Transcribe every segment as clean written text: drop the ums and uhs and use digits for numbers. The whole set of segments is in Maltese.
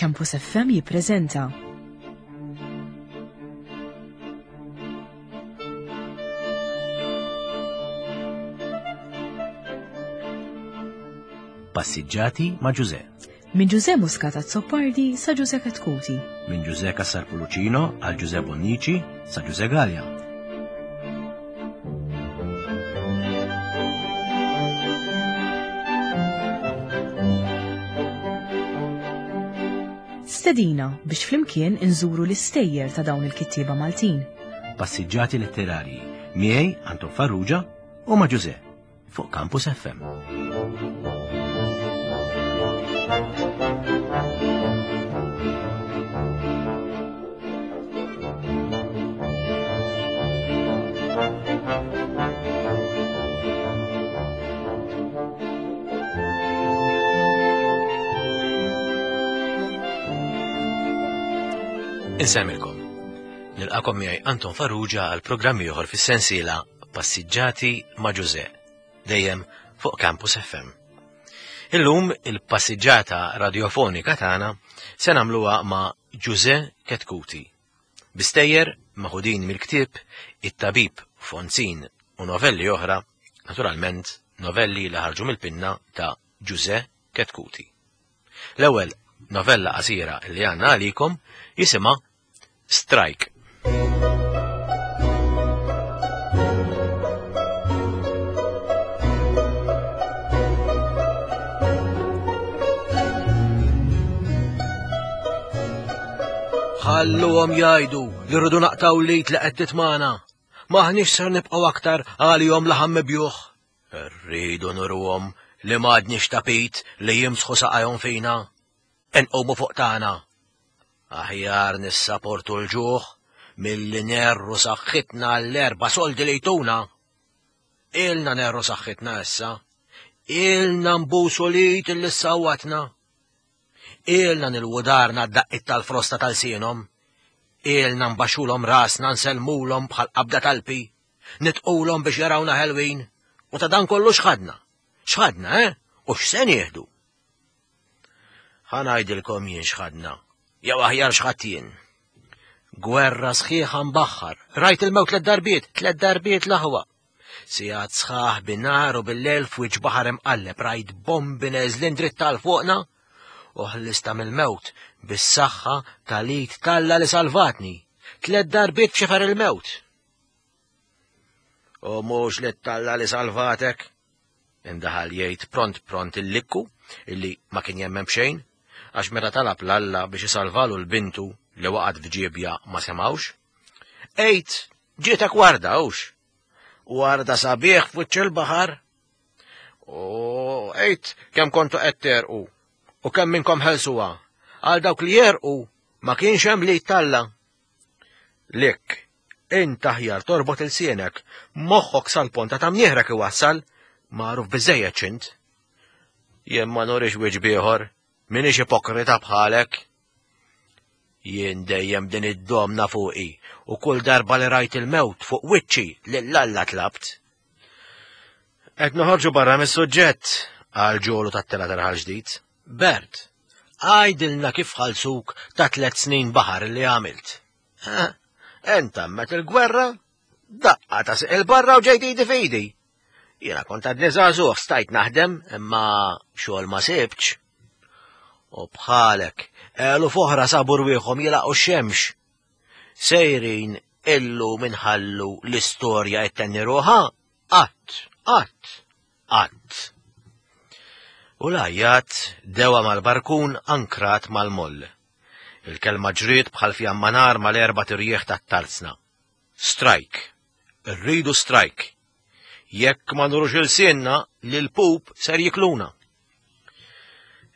Campus FM jippreżenta. Passiġġati ma' Ġuże. Minn Ġuże Muscat Azzopardi sa Ġuże Katkuti. Minn Ġuże Cassar Pulucino għal Ġuże Bonnici sa Ġuże Gallia. Stedina biex flimkien inżuru l-istejjer ta' dawn il-kittieba Maltin. Passiġġati letterarji miegħi Anton Farrugia u ma' Ġuże fuq Campus FM. Insemmilkom. Nilqakom miegħi Anton Farrugia għal programm ieħor fis-sensiela Passiġġati ma' Ġuże, dejjem fuq Campus FM. Illum il-passiġġata radiofonika tagħna se nagħmluha ma' Ġuże Ketkuti. Bistejjer maħudin mill-ktieb It-Tabib Fonzin u novelli oħra, naturalment novelli li ħarġu mill-pinna ta' Ġuże Ketkuti. L-ewwel novella qasira li għandna għalikom jisimha Strike. Ħalluhom jgħidu li rridu naqtaw lit li qed titmana. Maħniex ser nibqgħu aktar għalihom laħam mibjuħ. Rridu nuruhom li m'għadniex tapit li jimsħu saqajhom fina. Inqumu fuq tagħna. Aħjar nissaportu l-ġuħ milli nerru saħħitna għall-erba' soldi li jtuna. Ilna nerru saħħitna issa. Ilna nbusu lit illi sawwatna. Ilna nilwu darna d-daqqit tal-frosta tal-sienhom. Ilna nbaxxulhom rasna nsellmulhom bħal qabda talpi. Nitqulhom biex jarawna ħelwin. U ta' dan kollu x'ħadna? X'ħadna, eh? U x'se nieħdu? Ħa ngħidilkom jien x'ħadna, jew aħjar x'ħadd jien. Gwerra sħiħa mbaħħar, rajt il-mewt tliet darbiet, tliet darbiet l-aħwa. Sigħat sħaħ bin-nar u bil-lejl f'wiċċ baħar imqalleb rajt bombi neżlin dritt tal fuqna u ħlista mill-mewt bis-saħħa tal-id talla li salvatni. Tliet darbiet f'xifer il-mewt. U mhux li talla li salvatek, Indaħal jgħid pront pront il-likku illi ma kien jemmen b'xejn, għax meta talab l-Alla biex isalvalu l-bintu li waqgħet f'ġiebja ma semgħux. Għid, ġietek warda hux? Warda sabiħ f'wiċċ il-baħar. U għid kemm kontu qed terqu u kemm minnkom ħelsuha. Għal dawk li jerqu ma kienx hemm li talla. Lik, Int aħjar torbot ilsienek, moħħok sal-ponta ta' mnieħrek iwassal, magħruf biżejjed x'int. Jien ma nurix wiċċ bieħor, minix ipokrita bħalek. Jien dejjem din id-domna fuqi u kull darba li rajt il-mewt fuq wiċċi lil Alla tlabt. Qed noħorġu barra mis-suġġett, qal Ġolu tat-tela ta' ġdid. Bert, għajdilna kif ħalsuk ta' tlet snin baħar li għamilt. Entammet il-gwerra, daqqa ta' siq il-barra u ġejt idi fidi. Jiena kont għadni żagħżugħ stajt naħdem, imma xogħol ma sibtx. U bħalek, elu foħra sabu rwieħhom jilaqgħu x-xemx. Sejrin illu minħallu l-istorja ittenni ruħha, qatt, qatt, qatt. U l-għajjat dewa mal-barkun ankrat mal-moll. Il-kelma ġriet bħal fjamma nar mal-erbat irjieħ tat-tarzna. Strajk! Irridu strajk! Jekk ma nurux ilsienna, lill-pup ser jikluna.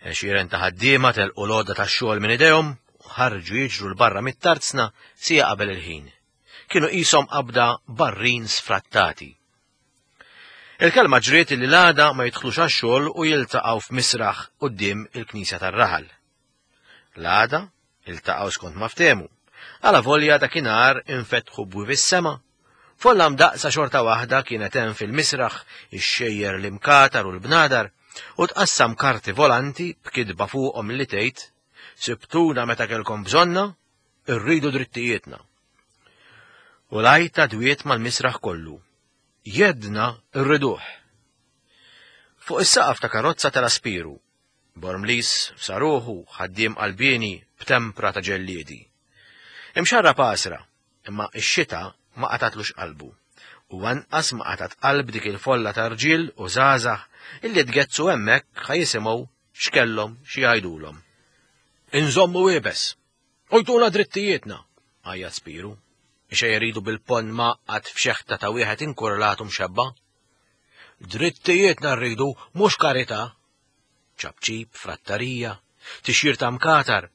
Għexieren ta' ħaddiema telqu l-għodda tax-xogħol minn idejhom u ħarġu jiġru 'l barra mit-tarzna siegħa qabel il-ħin. Kienu qishom qabda barrin sfrattati. Il-kelma ġriet li l-għada ma jidħlux għax-xogħol u jiltaqgħu f'misraħ quddiem il-knisja tar-raħal. L-għada, iltaqgħu skont ma ftehmu. Alavolja dakinhar infetħu bwieb is-sema. Folla mdaqqsa xorta waħda kienet hemm fil-misraħ ixxejjer l-imkatar u l-bnadar u tqassam karti volanti b'kitba fuqhom li tgħid. Sibtuna meta kellkom bżonna, irridu drittijietna. U l-għajta dwiet mal-misraħ kollu. Jedna rriduh. Fuq is-saqaf ta' karozza tela' Spiru, Bormliż f'saruħu, ħaddiem qalbieni b'tempra ta' ġelliedi. Imxarrab għasra, imma x-xita ma qatgħatlux qalbu, u anqas ma qatgħat qalb dik il-folla ta' rġiel u żgħażagħ illi tgezzsu hemmhekk ħa jisimgħu x'kellhom xi jgħidulhom. Inżommu iebes! U jtuna drittijietna! għajjat Spiru, ixejjer idu bil-ponn mgħaqqad f'xeħta ta' wieħed inkurlat u mxebba'. Drittijietna rridu, mhux karità! Ċapċip, frattarija, tixjir ta' mkatar.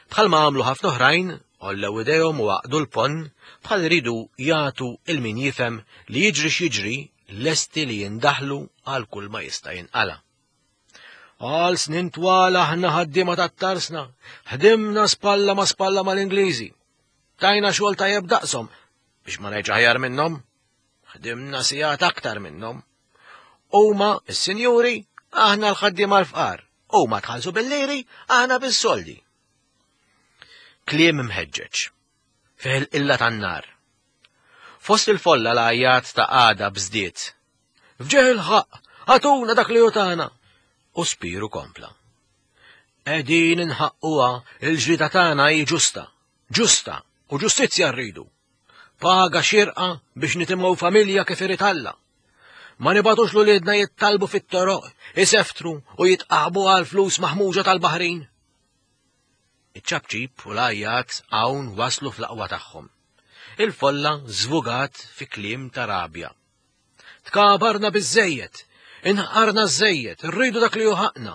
Bħalma għamlu ħafna oħrajn, għollew idejhom u għaqdu l-ponn bħal iridu jagħtu 'il min jifhem li jiġri x'jiġri lesti li jindaħlu għal kull ma jista' jinqala'. Għal snin twal aħna ħaddiema tat-tarsna, ħdimna spalla ma' spalla mal-Ingliżi. Tajna xogħol tajjeb daqshom biex ma ngħidx aħjar minnhom. Ħdimna sigħat aktar minnhom. Huma s-sinjuri, aħna l-ħaddiema l-fqar. Huma tħallsu bil-liri, aħna bis-soldi. Kliem mħeġġeġ. Fih il-qilla tan-nar. Fost il-folla l-għajjat ta' għada bżdiet. F'ġieħ il-ħaqq, għatuna dak li hu tagħna. U Spiru kompla. Qegħdin inħaqquha il-ġlieda tagħna hi ġusta, ġusta u ġustizzja rridu. Paga xierqa biex nitimgħu familja kif irid Alla. Ma nibatux l-uliedna jittalbu fit-toroq, iseftru u jitqaħbu għal flus maħmuġa tal-baħrin. Iċ-ċapċip u l-għajjat hawn waslu fl-aqwa tagħhom. Il-folla żvugat fi kliem ta' rabja. Tkabarna biżżejjed, inħqarna żżejjed, rridu dak li hu ħaqna.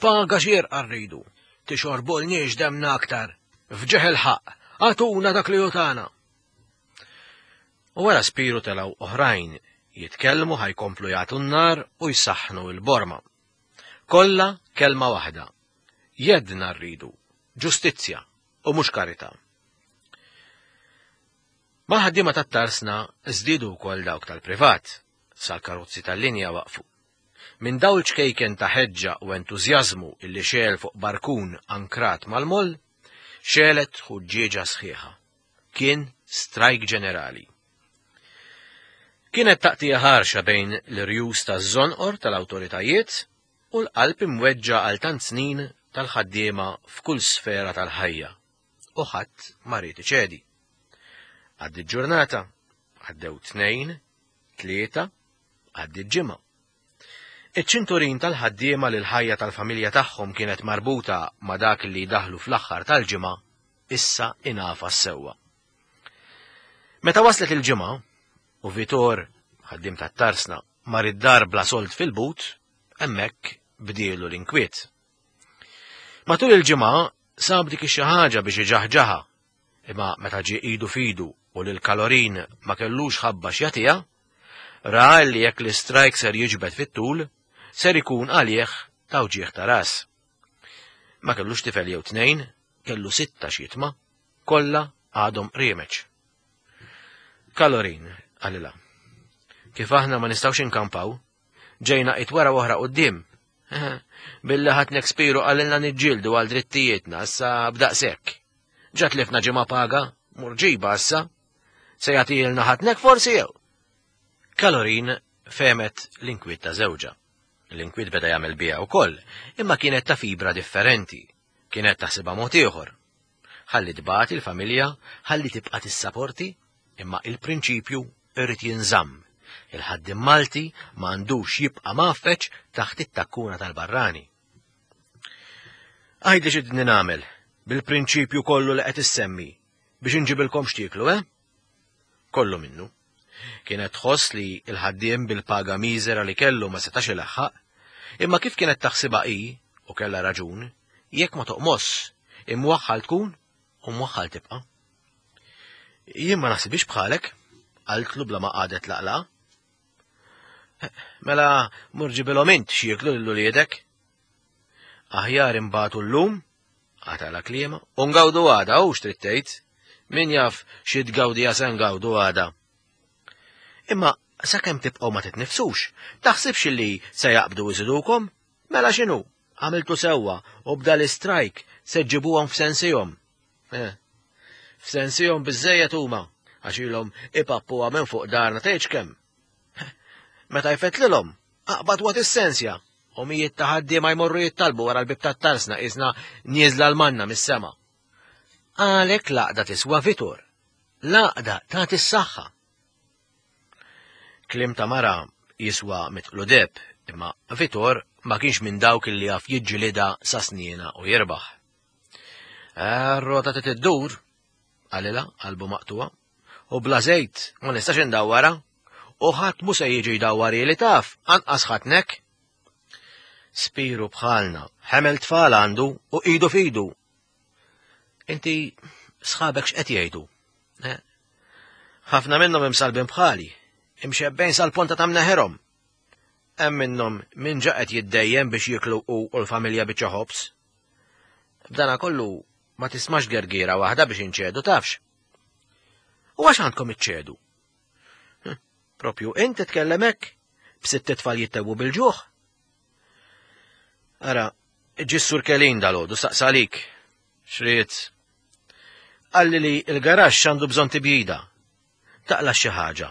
Paga xierqa rridu. Tixorbulniex demna aktar. F'ġieħ il-ħaqq, agħtuna dak li hu tagħna. U wara Spiru telgħu oħrajn jitkellmu ħa jkomplu jagħtu n-nar u jsaħħnu l-borma. Kollha kelma waħda. Jeddna rridu, ġustizzja u mhux karità. Mal-ħaddiema tat-tarsna żdiedu wkoll dawk tal-privat, sal-karozzi tal-linja waqfu. Minn dawl ċkejken ta' ħeġġa u entużjażmu illi xegħel fuq barkun ankrat mal-moll, xegħlet ħuġġieġa sħiħa. Kien strajk ġenerali. Kienet taqtigħa ħarxa bejn l-irjus taż-żonqor tal-awtoritajiet u l-qalb imweġġa' għal tant snin tal-ħaddiema f'kull sfera tal-ħajja. U ħadd ma ried iċedi. Għaddiet ġurnata, għaddew tnejn, tlieta, għaddiet ġimgħa. Iċ-ċinturin tal-ħaddiema li l-ħajja tal-familja tagħhom kienet marbuta ma' dak li jdaħħlu fl-aħħar tal-ġimgħa issa ingħafas sewwa. Meta waslet il-ġimgħa u Vitor, ħaddiem tat-tarsna, mar id-dar bla sold fil-but, hemmhekk bdielu l-inkwiet. Matul il-ġimgħa sab dik ix-xi ħaġa biex iġaħġaħa, imma meta ġie idu f'idu u lil Kalorin ma kellux ħabba x'jagħtiha, ra li jekk l-istrajk ser jiġbed fit-tul, ser ikun għalih ta' wġigħ ta' ras. Ma kellux tifel jew tnejn, kellu sitta x'jitma', kollha għadhom qriemeċ. Kalorin, qalilha, kif aħna ma nistgħux inkampaw, Ġejna it wara u oħra quddiem. Billi ħadd Spiru qalilna niġġieldu għal drittijietna issa b'daqshekk. Ġa tlifna ġimgħa paga, mur ġiba issa. Se jagħtielna ħatnek forsi jew? Kalorin fehmet l-inkwiet ta' żewġha. L-inkwiet beda jagħmel biha wkoll, imma kienet ta' fibra differenti. Kienet taħsibha mod ieħor. Ħalli tbati l-familja, ħalli tibqa' tissaporti, imma il-prinċipju irid jinżamm. Il-ħaddiem Malti ma għandux jibqa' mgħaffeġ taħt it-takkuna tal-barrani. Għidli x'idni nagħmel bil-prinċipju kollu li qed issemmi biex inġibilkom x'tieklu, eh? Kollu minnu. Kienet tħoss li l-ħaddiem bil-paga miżera li kellu ma setax ilaħħaq, imma kif kienet taħsibha hi, u kellha raġun, jekk ma toqmosx, imwaħħal tkun u mwaħħal tibqa'. Jien ma naħsibhiex bħalek, qaltlu bla ma qagħdet laqlaqa. Mela mur ġibilhom int x'jieklu lil uliedek. Aħjar imbagħtu llum, qatala kliema, u ngawdu għada u x'trid tgħid. Min jaf xi tgawdija se ngawdu għada. Imma sakemm tibqgħu ma titnifsux, taħsibx li se jaqbdu iżidukom? Mela x'inhu? Għamiltu sewwa u b'da l-istrajk se ġġibuhom f'sensihom. Eh, f'sensihom biżejjed huma għax ilhom ipappuha minn fuq darna tgħidx kemm. Meta jfettlilhom, aqbad waqt is-sensja u mijiet ta' ħaddiema jmorru jittalbu wara l-bib tat-tarsna qisna nieżla l-manna mis-sema. Għalhekk l-għaqda tiswa vitur. L-għaqda tagħti s-saħħa. Kliem ta' mara jiswa mitqlu deb, imma Vitor ma kienx minn dawk li jaf jiġġilida sa sniena u jirbaħ. Eh, rota trid iddur, qalilha qalbu maqtuwa, u bla żejt ma nistax indawwara, u ħadd mhu se jiġi jdawwar li taf, anqas ħatnek. Spiru bħalna, ħemel tfal għandu u idu fidu. Inti sħabek x'qed jgħidu? Eh? Ħafna minnhom imsalbin bħali, imxebbejn sal-ponta ta' mneħerhom. Hemm minnhom min ġa qed jiddejjem biex jiklu u l-familja biċċa ħobż. B'dana kollu ma tismax gergiera waħda biex inċedu tafx. U għax għandkom iċċedu? Hm, propju int titkellem hekk b'sitt tfal jittewu bil-ġuħ. Ara, ġissur Kelin dal-għodu saqsalik. Xriet. Qalli li l-garaxx għandu bżonn tibjida. Taqla xi ħaġa.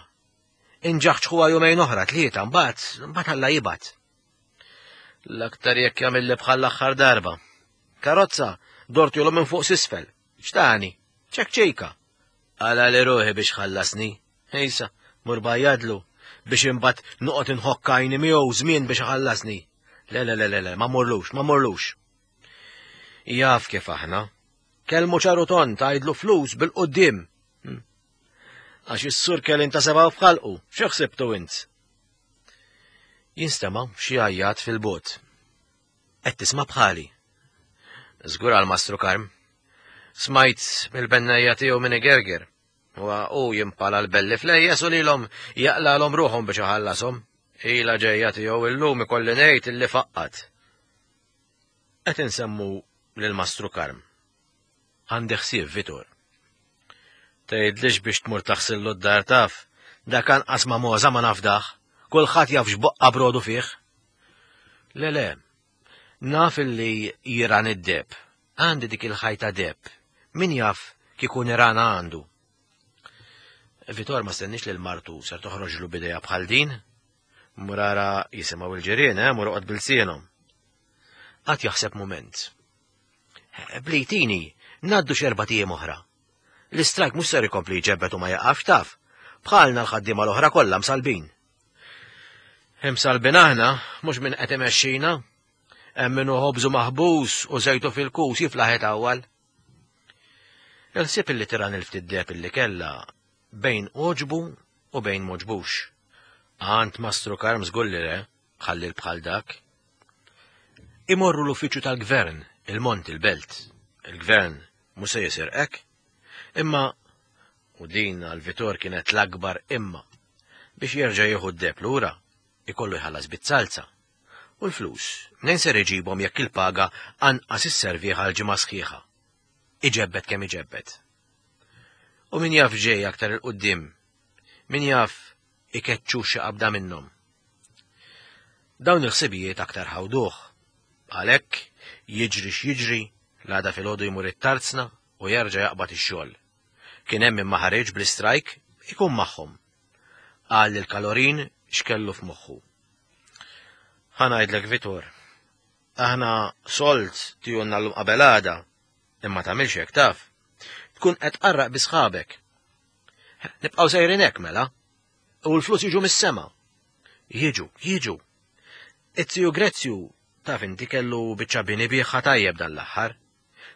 Inġaħġħuha jumejn oħra tlieta mbagħad mbagħad Alla jibgħat. L-aktar jekk jagħmilli bħal l-aħħar darba. Karozza dortjolu minn fuq s'isfel. X'tani? Ċekċejka. Għala li ruħi biex ħallasni. Ejsa, mur bajjadlu biex imbagħad noqgħod inħokk għajni miegħu żmien biex iħallasni. Le, le, le, le, le, ma morlux, ma morlux. Jaf kif aħna. Kelmu ċaru ton tgħidlu flus bil-qudiem. Hm. Għax is-sur kelin ta' seba' f'ħalqu, xi ħsibtu int? Jinstema' xi għajjat fil-bot. Qed tisma' bħali. Żgur għal Mastru Karm. Smajt mill-bennejja tiegħu minn igerger. Huwa hu jimpala l-belli flejjes u lilhom jaqlalhom ruħhom biex iħallashom. Ila ġejja tiegħu illum ikolli ngħid illi faqqat. Qed insemmu lil Mastru Karm. Għandi ħsieb Vitor. Tgħidlix biex tmur taħsillu d-dar taf, dak anqas ma' moża ma nafdah, kulħadd jaf x'boqqa brodu fih. Le le, naf illi jiran id-deb, għandi dik il-ħajta deb, min jaf kieku nirana għandu. Vitor ma stennix li l-martu ser toħroġlu bideja bħal din. Murara jisimgħu il-ġirien, eh, mur oqgħod bil-sienhom. Qatt jaħseb mument. Blejtini, ngħaddu x'erba' tiem oħra. L-istrajk mhux ser ikompli jġebbet u ma jaqafx taf. Bħalna l-ħaddiema l-oħra kollha msalbin. Imsalbin aħna, mhux min qed imexxina. Hemm min hu ħobżu maħbus u żejtu fil-kus jiflaħ itawwal. Il-ħsieb illi tiran il-ftit deheb illi kellha bejn għoġbu u bejn m'għoġbux. Għand Mastru Karm żgur li le, ħallil bħal dak. Imorru l-uffiċċju tal-gvern, il-Mont il-Belt. Il-gvern mhux se jisirqek. Imma, u din għal Vitor kienet l-akbar imma, biex jerġa' jieħu d-deheb lura, ikollu jħallas bit-salza. U l-flus, mnejn ser iġibhom jekk il-paga anqas isservih għal ġimgħa sħiħa? Iġebbed kemm iġebbed. U min jaf ġej aktar il-qudiem? Min jaf ikeċċu xi qabda minnhom? Dawn il-ħsibijiet aktar ħawduh. Għalhekk, jiġri x'jiġri, l-għada filgħodu jmur it-tarzna u jerġa' jaqbad ix-xogħol. Kien hemm min ma ħariġ bl-istrajk, ikun magħhom. Qal lil Kalorin x'kellu f'moħħu. Ħa ngħidlek Vitor, aħna sold tijunna llum qabel għada, imma tagħmilx hekk taf. Tkun qed tqarraq bi sħabek. Nibqgħu sejrin hekk mela. U l-flus jiġu mis-sema. Jiġu, jiġu. It-tiju Grezzju taf inti kellu biċċa bini biħħa tajjeb dan l-aħħar.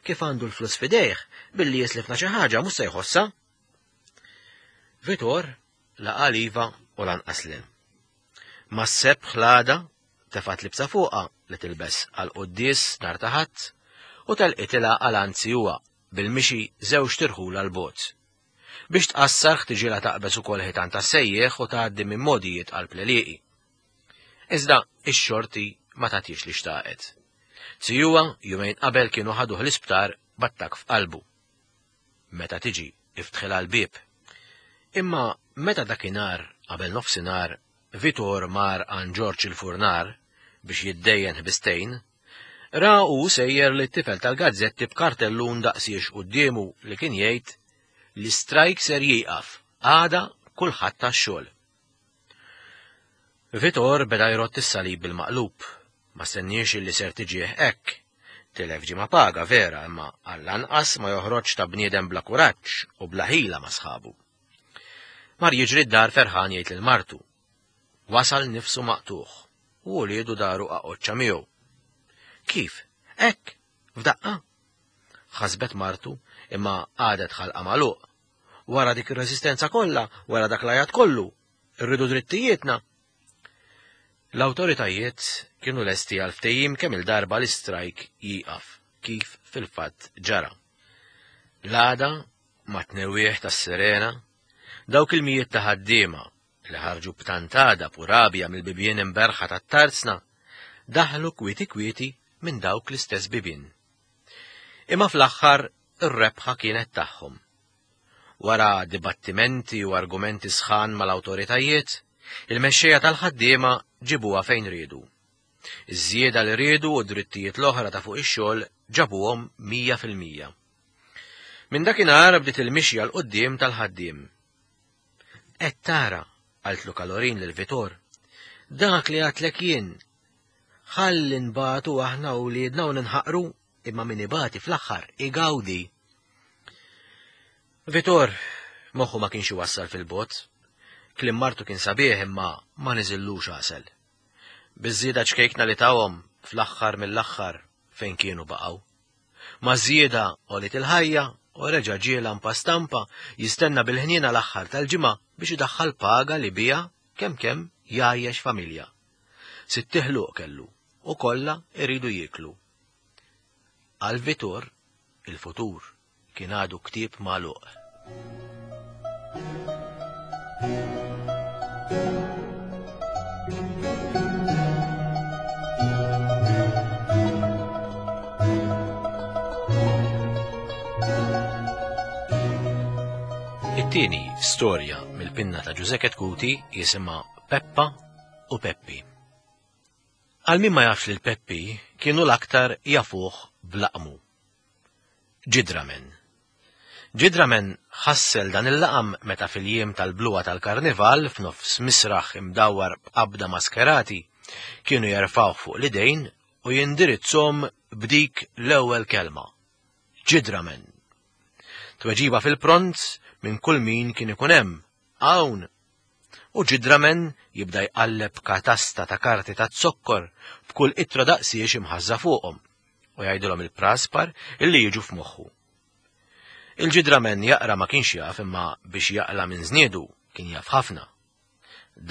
Kif għandu l-flus fidejh, billi jislifna xi ħaġa mhux se jħossha. Vitor la qal iva u lanqas le. Ma sebħ l-għada tefgħet libsa fuqha li tilbes għal quddies nhar ta' Ħadd u telqitilha għal anzi huwa bil-mixi żewġt irħula 'l bogħod. Biex tqassar ħtiġilha taqbeż ukoll ħitan tas-sejjieħ u tgħaddi minn mogħdijiet qalb l-għelieqi. Iżda ix-xorti ma tagħtix li xtaqet. Zijuha jumejn qabel kienu ħaduh l-isptar b'attakk f'qalbu. Meta tiġi iftħilha l-bieb. Imma meta dakinhar qabel nofsinhar Vitor mar għand Ġorġ il-furnar biex jiddejjen ħbistejn, Ra hu sejjer li t-tifel tal-gazzetti b'kartellun daqsiex quddiemu li kien jgħid l-istrajk ser jieqaf, għada kulħadd tax-xogħol. Vitor beda jrott is-salib bil-maqlub. Ma stenniex illi ser tiġih hekk. Tilef ġimgħa paga vera imma għall-anqas ma joħroġx ta' bniedem bla kuraġġ u bla ħila ma' sħabu. Mar jiġri d-dar ferħan jgħid lil martu. Wasal nifsu maqtugħ u uliedu daru qaqoċċa miegħu. Kif? Hekk? F'daqqa? Ħasbet martu imma għadet ħalqa magħluq. Wara dik ir-reżistenza kollha, wara dak l-għajat kollu, irridu drittijietna. L-awtoritajiet kienu lesti għal ftehim kemm il-darba l-istrajk jieqaf, kif fil-fatt ġara. L-għada, mat-tnewwieħ tas-sirena, dawk il-mijiet ta' ħaddiema li ħarġu b'tant għadab u rabja mill-bibien imberħa tat-tarzna, daħlu kwieti kwieti minn dawk l-istess bibien. Imma fl-aħħar ir-rebħa kienet tagħhom. Wara dibattimenti u argumenti sħan mal-awtoritajiet, il-mexxejja tal-ħaddiema ġibuha fejn riedu. Iż-żieda li riedu u d-drittijiet l-oħra ta' fuq ix-xogħol ġabuhom 100%. Minn dakinhar bdiet il-mixja 'l quddiem tal-ħaddiem. Qed tara, qaltlu Kalorin lil Vitor, dak li għadtlek jien. Ħalli nbatu aħna u wliedna u ninħaqru, imma min ibati fl-aħħar igawdi. Vitor, moħħu ma kienx iwassal fil-bogħod. Kliem martu kien sabiħ imma ma niżillux għasel. Biż-żieda ċkejkna li tawhom fl-aħħar mill-aħħar fejn kienu baqgħu. Maż-żieda għoliet il-ħajja u reġa' ġie lampa stampa jistenna bil-ħniena l-aħħar tal-ġimgħa biex idaħħal paga li biha kemm kemm jgħajjex familja. Sitt iħluq kellu u kollha jridu jieklu. Għal Vitor, il-futur kien għadu ktieb magħluq. It-tieni storja mill-pinna ta' Ġużè Chetcuti jisimha Peppa u Peppi. Għal min ma jafx lil Peppi kienu l-aktar jafuh b'laqmu. Ġidramen. Ġidramen ħassel dan il-laqam meta fil-jiem tal-bluha tal-karnival f'nofs misraħ imdawwar b'qabda maskerati kienu jerfgħuh fuq l-idejn u jindirizzhom b'dik l-ewwel kelma, Ġidramen! Tweġiba fil-pront minn kull min kien ikun hemm, Hawn! U Ġidramen jibda jqalleb katasta ta' karti taz-zokkor b'kull ittra daqsiex imħażża fuqhom u jgħidilhom il-praspar illi jiġu f'moħħu. Il-Ġidramen jaqra ma kienx jaf imma biex jaqla' minn żniedu kien jaf ħafna.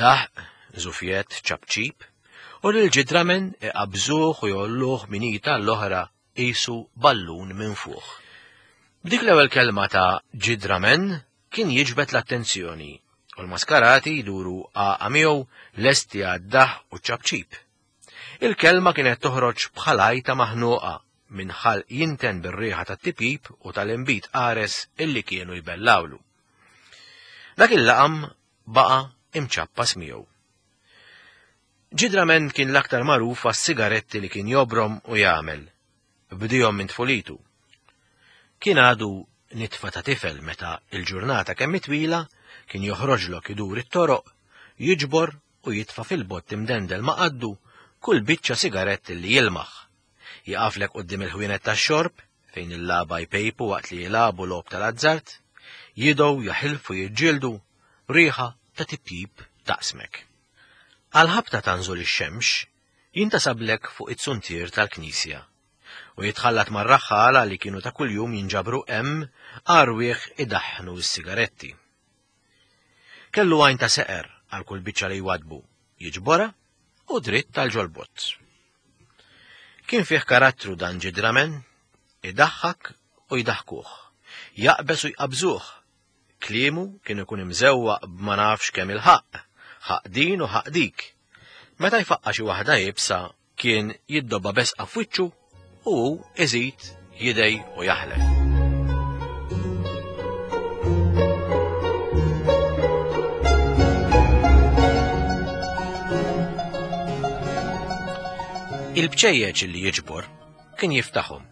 Daħq, żufjett, ċapċip, u lill-Ġidramen iqabbżuh u jgħolluh minn id għall-oħra qisu ballun minfuħ. B'dik l-ewwel kelma ta' Ġidramen kien jiġbed l-attenzjoni u l-maskarati jduru għaqa miegħu lesti għad-daħq u ċ-ċapċip. Il-kelma kienet toħroġ bħal għajta maħnuqa minn ħalq jinten bir-riħa tat-tipjip u tal-inbid qares illi kienu jbellgħulu. Dak il-laqam baqa' imċappas miegħu. Ġidramen kien l-aktar magħruf għas-sigaretti li kien jobrom u jagħmel. Bdihom minn tfulitu. Kien għadu nitfa ta' tifel meta il-ġurnata kemm twila kien joħroġlok idur it-toroq, jiġbor u jitfa' fil-bott imdendel ma' qaddu kull biċċa sigarett li jilmaħ. Jaqaflek quddiem il-ħwienet tax-xorb, fejn il-lagħba jpejpu waqt li jilagħbu logħob tal-azzard, jidgħu, jaħilfu, jiġġieldu, riħa ta' tipjip taqsmek. Għall-ħabta ta' nżul ix-xemx, jintasablek fuq it-zuntier tal-knisja u jitħallat mar-raħħala li kienu ta' kuljum jinġabru hemm għarwieħ idaħħnu s-sigaretti. Kellu għajn ta' seqer għal kull biċċa li jwadbu, jiġborha u dritt għal ġol-bott. Kien fih karattru dan ġidramen, idaħħak u jdaħkuh, jaqbeż u jqabżuh. Kliemu kien ikun imżewwaq b'ma nafx kemm il-ħaqq, ħaqq din u ħaqq dik. Meta jfaqqa' xi waħda iebsa kien jiddobba besqa f'wiċċu u hu iżid jidej u jaħlef. Il-bċejjeċ li jiġbor kien jiftaħhom,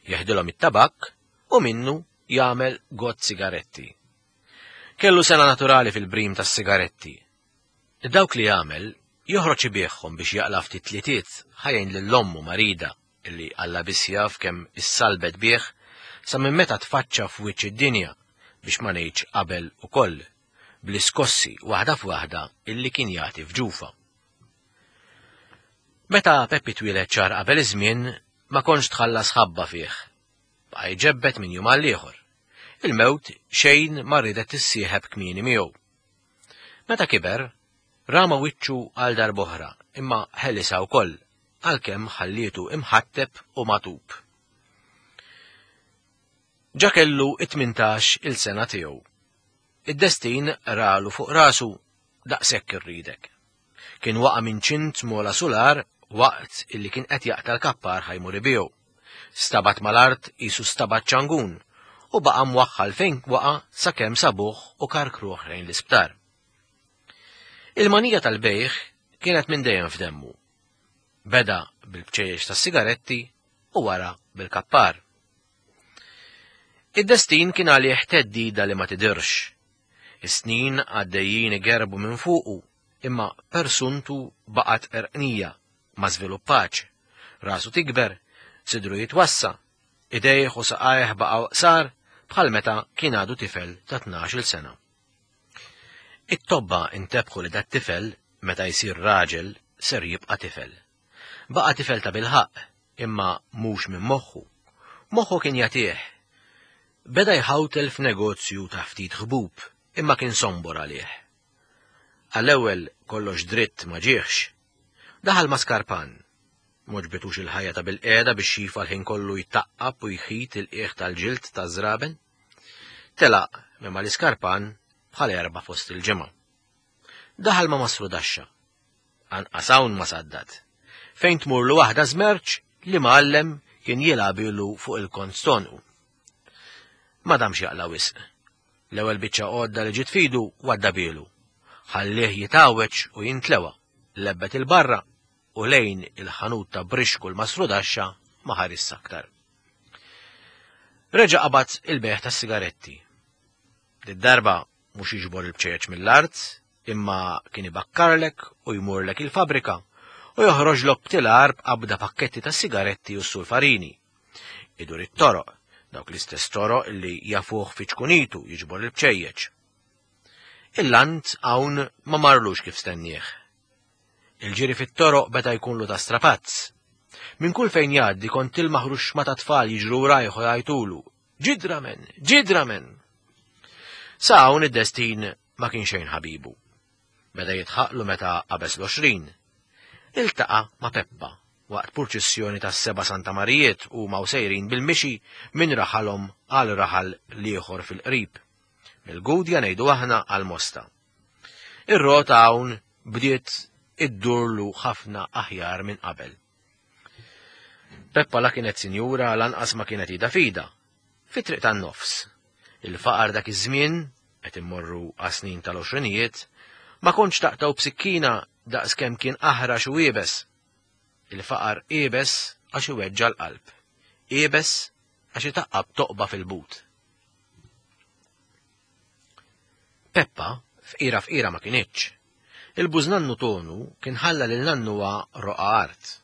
jeħdilhom it-tabakk u minnu jagħmel gott sigaretti. Kellu sena naturali fil-brim tas-sigaretti. Dawk li jagħmel joħroġ ibigħhom biex jaqla' ftit tlietiet ħajjin lil ommu marida illi Alla biss jaf kemm issalbet bih sa minn meta tfaċċa f'wiċċ id-dinja biex ma ngħidx qabel ukoll bl-iskossi waħda f'waħda illi kien jagħti f'ġufa. Meta Peppi twieled xahar qabel iż-żmien ma kontx tħallas ħabba fih. Baqa' jġebbed minn jum għal ieħor. Il-mewt xejn ma riedet tissieħeb kmieni miegħu. Meta kiber, rama wiċċu għal darb'oħra imma ħelisha wkoll għalkemm ħallietu imħatteb u magħtub. Ġa kellu it-18 il sena tiegħu. Id-destin ralu fuq rasu daqshekk irridek. Kien waqa' minn ċint mola sular waqt illi kien qed jaqta' l-kappar ħajmur ibiegħu. Stabat mal-art qisu stabat ċangun u baqa' mwaħħal fejn waqa' sakemm sabuh u karkruh lejn l-isptar. Il-manija tal-bejgħ kienet minn dejjem f'demmu. Beda bil-bċejjeċ tas-sigaretti u wara bil-kappar. Id-destin kien għalih theddida li ma tidirx. Is-snin għaddejjin igerbu minn fuqu, imma persuntu baqgħet qerqnija, ma żviluppatx. Rasu tikber, sidru jitwassa, idejh u saqajh baqgħu qsar bħal meta kien għadu tifel ta' 12-il sena. It-tobba intebħu li dat-tifel, meta jsir raġel, ser jibqa' tifel. Baqa' tifel ta' bilħaqq, imma mhux minn moħħu. Moħħu kien jagħtih. Beda jħawtel f'negozju ta' ftit ħbub, imma kien sombor għalih. Għall-ewwel kollox dritt ma ġieħx. Daħal ma' skarpan. M'għoġbitux il-ħajja ta' bilqiegħda biex xifa l-ħin kollu jtaqqab u jħit il-qiegħ tal-ġild taż-żraben. Telaq minn mal-iskarpan bħal erba' fost il-ġimgħa. Daħal ma' Mastru Daxxa. Anqas hawn ma saddad. Fejn tmurlu waħda żmerċ li mgħallem kien jilgħabilu fuq il-kont stonqu. Ma damx jaqla' wisq. L-ewwel biċċa għodda li ġiet f'idu waddabielu. Ħallih jitgħawweġ u jintlewa, lebbet 'il barra u lejn il-ħanut ta' Brixku l-Mastrudaxxa ma ħarisx aktar. Reġa' qabad il-bejgħ tas-sigaretti. Did-darba mhux jiġbor il-bċejjeċ mill-art, imma kien ibakkarlek u jmurlek il-fabbrika u joħroġlok btilar b'qabda pakketti ta' sigaretti u sulfarini. Idur it-toroq, dawk l-istess toroq li jafuh fi ċkunitu jiġbor il-bċejjeċ. Il-lant hawn ma marlux kif stennieh. Il-ġiri fit-toroq beda jkunlu ta' strapazz. Minn kull fejn jgħaddi kont tilmaħ ruxxma ta' tfal jiġru rajħu jgħajtulu, Ġidramen! Ġidramen! Sa hawn id-destin ma kien xejn ħabibu. Beda jitħaqlu meta qabeż l-20. Iltaqa' ma' Peppa waqt purċissjoni tas-Seba' Santa Marijiet huma u sejrin bil-mixi minn raħalhom għal raħal l-ieħor fil-qrib. Mill-Gudja ngħidu aħna għal Mosta. Ir-rota hawn bdiet iddurlu ħafna aħjar minn qabel. Peppa la kienet sinjura lanqas ma kienet ida fida. Fit-triq tan-nofs. Il-faqar dak iż-żmien, qed immorru għas-snin tal-għoxrinijiet, ma kontx taqtgħu b'sikkina daqs kemm kien aħrax u iebes. Il-faqar iebes għax iweġġa' l-qalb. Iebes għax itaqqab toqba fil-but. Peppa fqira fqira ma kinitx. Il-bużnannu Tonu kien ħalla lil nannuha roqgħa art.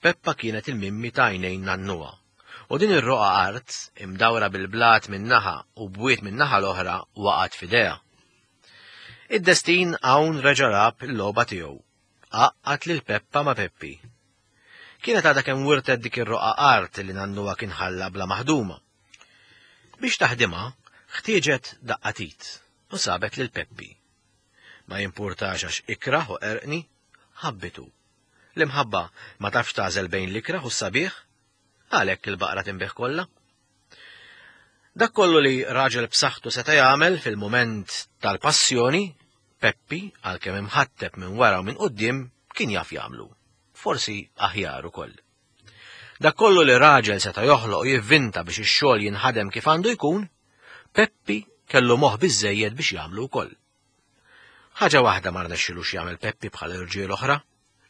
Peppa kienet il-mimmi ta' għajnejn nannuha. U din ir-roqgħa art, imdawra bil-blat minn naħa u bwiet min-naħa l-oħra waqgħet f'idejha. Id-destin hawn reġa' lagħab il-logħba tiegħu. Għaqqad lil Peppa ma' Peppi. Kienet għadha kemm wirtet dik ir-roqgħa art li nannuha kien ħalla bla maħduma. Biex taħdimha, ħtieġet daqqa t'id u sabet lil Peppi. Ma jimpurtax għax ikrah u qerqni, ħabbitu. L-imħabba ma tafx tagħżel bejn l-ikrah u s-sabiħ, għalhekk il-baqra tinbiegħ kollha. Dak kollu li raġel b'saħħtu seta' jagħmel fil-mument tal-passjoni, Peppi, għalkemm imħatteb minn wara u minn quddiem, kien jaf jagħmlu. Forsi aħjar ukoll. Dak kollu li raġel seta' joħloq u jivvinta biex ix-xogħol jinħadem kif għandu jkun, Peppi kellu moħħ biżżejjed biex jagħmlu wkoll. Ħaġa waħda ma rnexxilux jagħmel Peppi bħal irġiel oħra,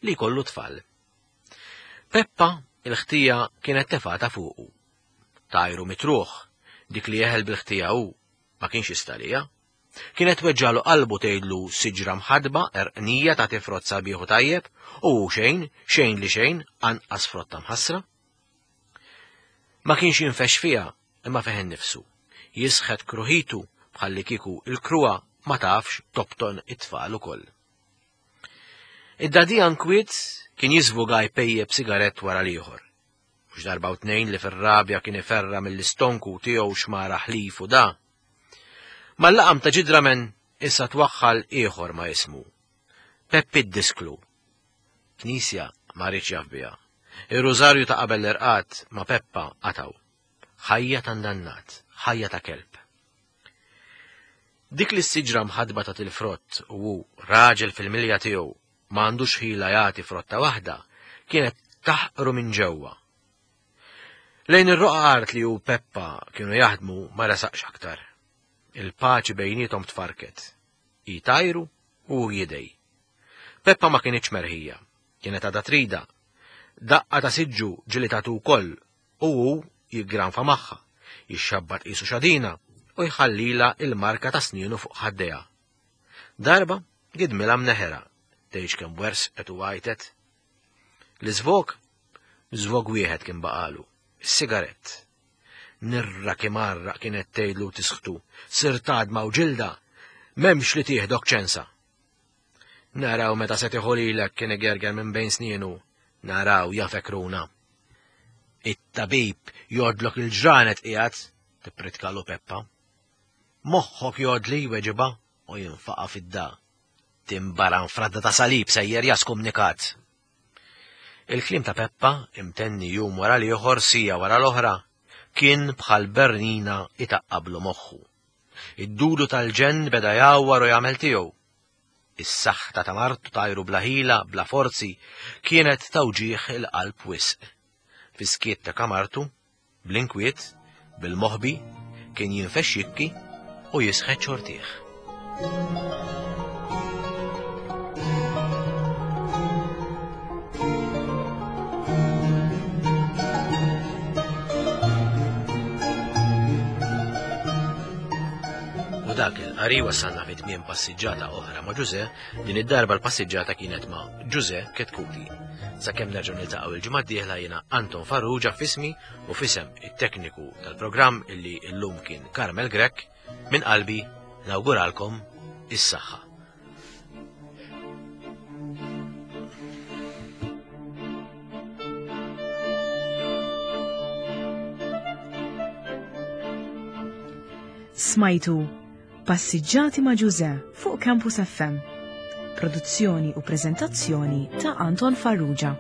li jkollu tfal. Peppa Il-ħtija kienet tefgħatha fuqu. Tajru mitruħ, dik li jeħel bil-ħtija hu, ma kienx jista' għaliha. Kienet tweġġagħlu qalbu tgħidlu siġra mħaddba, għerqnija tagħti frott sabiħ u tajjeb, u hu xejn, xejn li xejn, anqas frotta mħassra. Ma kienx jinfexx fiha, imma fih innifsu. Jisħet kruħitu bħallikieku il-kruha ma tafx tobton it-tfal ukoll. Id-dadija nkwiet kien jiżvuga jpejjep sigarett wara l-ieħor. Mhux darba u tnejn li fir-rabja kien iferra mill-istonku tiegħu xmara ħlif u da. Mal-laqam ta' ġidramen issa twaħħal ieħor ma' ismu. Peppi d-disklu. Knisja ma riedx jaf biha. Ir-rużarju ta' qabel l-irqad ma' Peppa qatgħu. Ħajja ta' ndannat, ħajja ta' kelb. Dik li s-siġra mħaddba tagħti l-frott u hu, raġel fil-milja tiegħu, ma għandux ħila jagħti frotta waħda, kienet taħqru minn ġewwa. Lejn ir-roqgħa art li hu Peppa kienu jaħdmu ma resaqx aktar. Il-paċi bejniethom tfarrket. Hi tgħajru u hu jidgħi. Peppa ma kinitx merħija, kienet għadha tridha. Daqqa ta' siġġu ġieli tagħtu wkoll u hu jiggranfa magħha, jixxabbat qisu xadina u jħallilha il-marka ta' snienu fuq ħaddejha. Darba gidmilha mneħera, tgħidx kemm wersqet u għajtet. L-iżvog? Żvog wieħed kien baqalu, is-sigarett. Nirra kimarraq kienet tgħidlu tisħtu, sirt għadma u ġilda, m'hemmx li tieħdok ċensa. Naraw meta se tieħu lilek kien igerger minn bejn snienu, naraw ja fekruna. It-tabib jgħoddlok il-ġranet qiegħed, tippritkalu Peppa. Moħħok jgħoddli jweġibha u jinfaqa' fid-da. Timbaran fradda ta' salib sejjer ja skumnikat. Il-kliem ta' Peppa, imtenni jum wara l-ieħor, siegħa wara l-oħra, kien bħal bernina itaqqablu moħħu. Id-dudu tal-ġenn beda jgħawwar u jagħmel tiegħu. Is-saħta ta' martu tajru bla ħila, bla forzi, kienet ta' wġigħ il-qalb wisq. Fis-skiet ta' kamartu, bl-inkwiet, bil-moħbi, kien jinfexx jibki u jisħet xortih. U dak il-qari wasalna fi tmiem passiġġata oħra ma' Ġuże, din id-darba l-passiġġata kienet ma' Ġuże Ketkuti. Sakemm nerġgħu niltaqgħu il-ġimgħa d-dieħla jiena Anton Farrugia f'ismi u f'isem it-tekniku tal-programm illi llum kien Carmel Grech, minn qalbi nawguralkom is-saħħa. Smajtu Passiġġati ma' Ġuże fuq Campus FM. Produzzjoni u preżentazzjoni ta' Anton Farrugia.